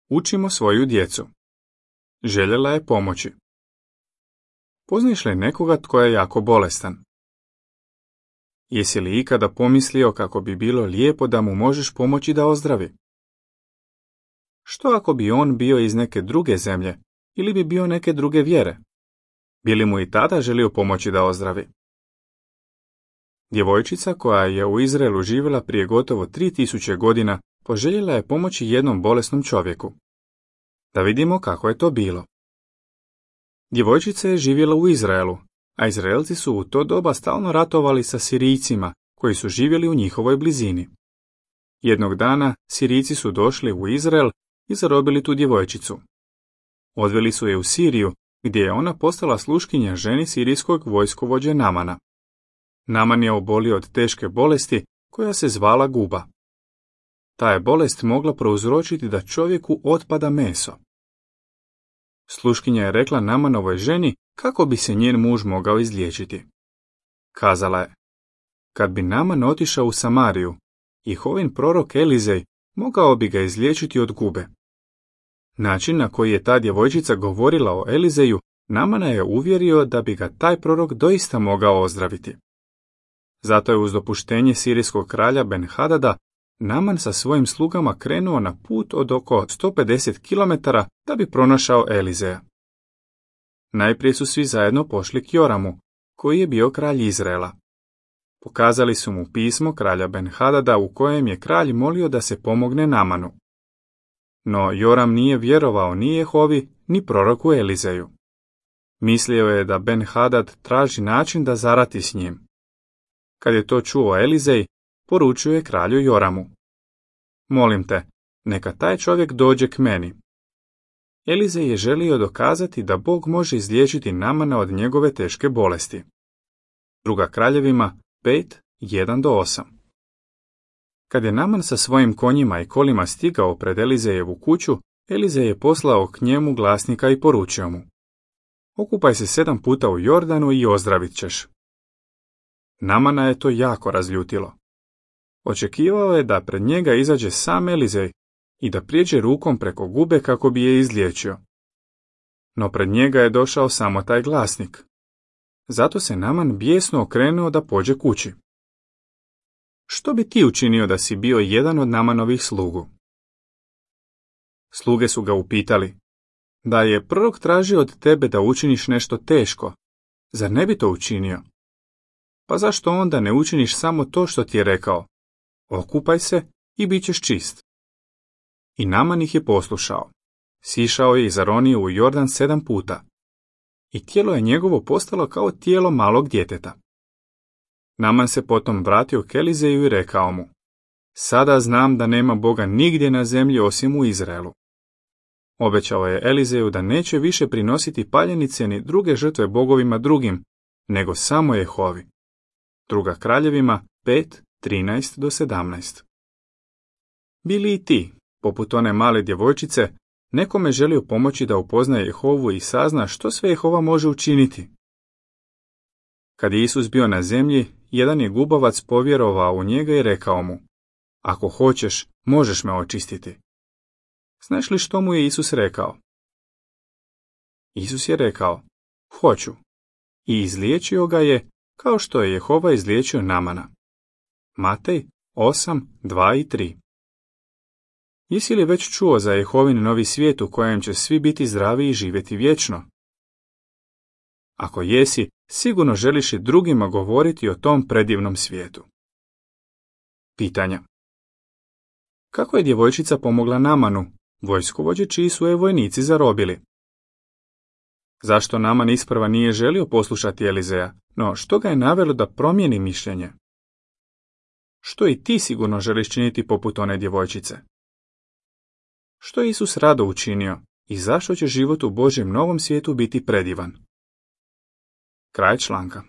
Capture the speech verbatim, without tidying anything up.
Učimo svoju djecu. Željela je pomoći. Poznaješ li nekoga tko je jako bolestan? Jesi li ikada pomislio kako bi bilo lijepo da mu možeš pomoći da ozdravi? Što ako bi on bio iz neke druge zemlje ili bi bio neke druge vjere? Bi li mu i tada želio pomoći da ozdravi? Djevojčica koja je u Izraelu živjela prije gotovo tri tisuće godina poželjela je pomoći jednom bolesnom čovjeku. Da vidimo kako je to bilo. Djevojčica je živjela u Izraelu, a Izraelci su u to doba stalno ratovali sa Sirijcima koji su živjeli u njihovoj blizini. Jednog dana Sirijci su došli u Izrael i zarobili tu djevojčicu. Odveli su je u Siriju, gdje je ona postala sluškinja ženi sirijskog vojskovođe Namana. Naman je obolio od teške bolesti koja se zvala guba. Ta je bolest mogla prouzročiti da čovjeku otpada meso. Sluškinja je rekla Namanovoj ženi kako bi se njen muž mogao izliječiti. Kazala je: kad bi Naman otišao u Samariju, Jehovin prorok Elizej mogao bi ga izliječiti od gube. Način na koji je ta djevojčica govorila o Elizeju, Namana je uvjerio da bi ga taj prorok doista mogao ozdraviti. Zato je uz dopuštenje sirijskog kralja Ben-Hadada Naman sa svojim slugama krenuo na put od oko sto pedeset kilometara da bi pronašao Elizeja. Najprije su svi zajedno pošli k Joramu, koji je bio kralj Izraela. Pokazali su mu pismo kralja Ben-Hadada u kojem je kralj molio da se pomogne Namanu. No Joram nije vjerovao ni Jehovi, ni proroku Elizeju. Mislio je da Ben-Hadad traži način da zarati s njim. Kad je to čuo Elizej, poručio je kralju Joramu: molim te, neka taj čovjek dođe k meni. Elizej je želio dokazati da Bog može izliječiti Namana od njegove teške bolesti. Druga Kraljevima pet, jedan do osam. Kad je Naman sa svojim konjima i kolima stigao pred Elizejevu kuću, Elizej je poslao k njemu glasnika i poručio mu: okupaj se sedam puta u Jordanu i ozdravit ćeš. Namana je to jako razljutilo. Očekivao je da pred njega izađe sam Elizej i da prijeđe rukom preko gube kako bi je izliječio. No pred njega je došao samo taj glasnik. Zato se Naman bijesno okrenuo da pođe kući. Što bi ti učinio da si bio jedan od Namanovih slugu? Sluge su ga upitali: da je prorok tražio od tebe da učiniš nešto teško, zar ne bi to učinio? Pa zašto onda ne učiniš samo to što ti je rekao: okupaj se i bit ćeš čist? I Naman ih je poslušao. Sišao je i zaronio u Jordan sedam puta. I tijelo je njegovo postalo kao tijelo malog djeteta. Naman se potom vratio k Elizeju i rekao mu: sada znam da nema Boga nigdje na zemlji osim u Izraelu. Obećao je Elizeju da neće više prinositi paljenice ni druge žrtve bogovima drugim, nego samo Jehovi. Druga Kraljevima pet, trinaest do sedamnaest. Bili i ti, poput one male djevojčice, nekome želio pomoći da upoznaje Jehovu i sazna što sve Jehova može učiniti? Kad je Isus bio na zemlji, jedan je gubavac povjerovao u njega i rekao mu: ako hoćeš, možeš me očistiti. Znaš li što mu je Isus rekao? Isus je rekao: hoću. I izliječio ga je kao što je Jehova izliječio Namana. Matej osam, dva i tri. Jesi li već čuo za Jehovin novi svijet u kojem će svi biti zdravi i živjeti vječno? Ako jesi, sigurno želiš i drugima govoriti o tom predivnom svijetu. Pitanja. Kako je djevojčica pomogla Namanu, vojskovođe čiji su je vojnici zarobili? Zašto Naman isprva nije želio poslušati Elizeja, no što ga je navelo da promijeni mišljenje? Što i ti sigurno želiš činiti poput one djevojčice? Što je Isus rado učinio i zašto će život u Božjem novom svijetu biti predivan? Kraj članka.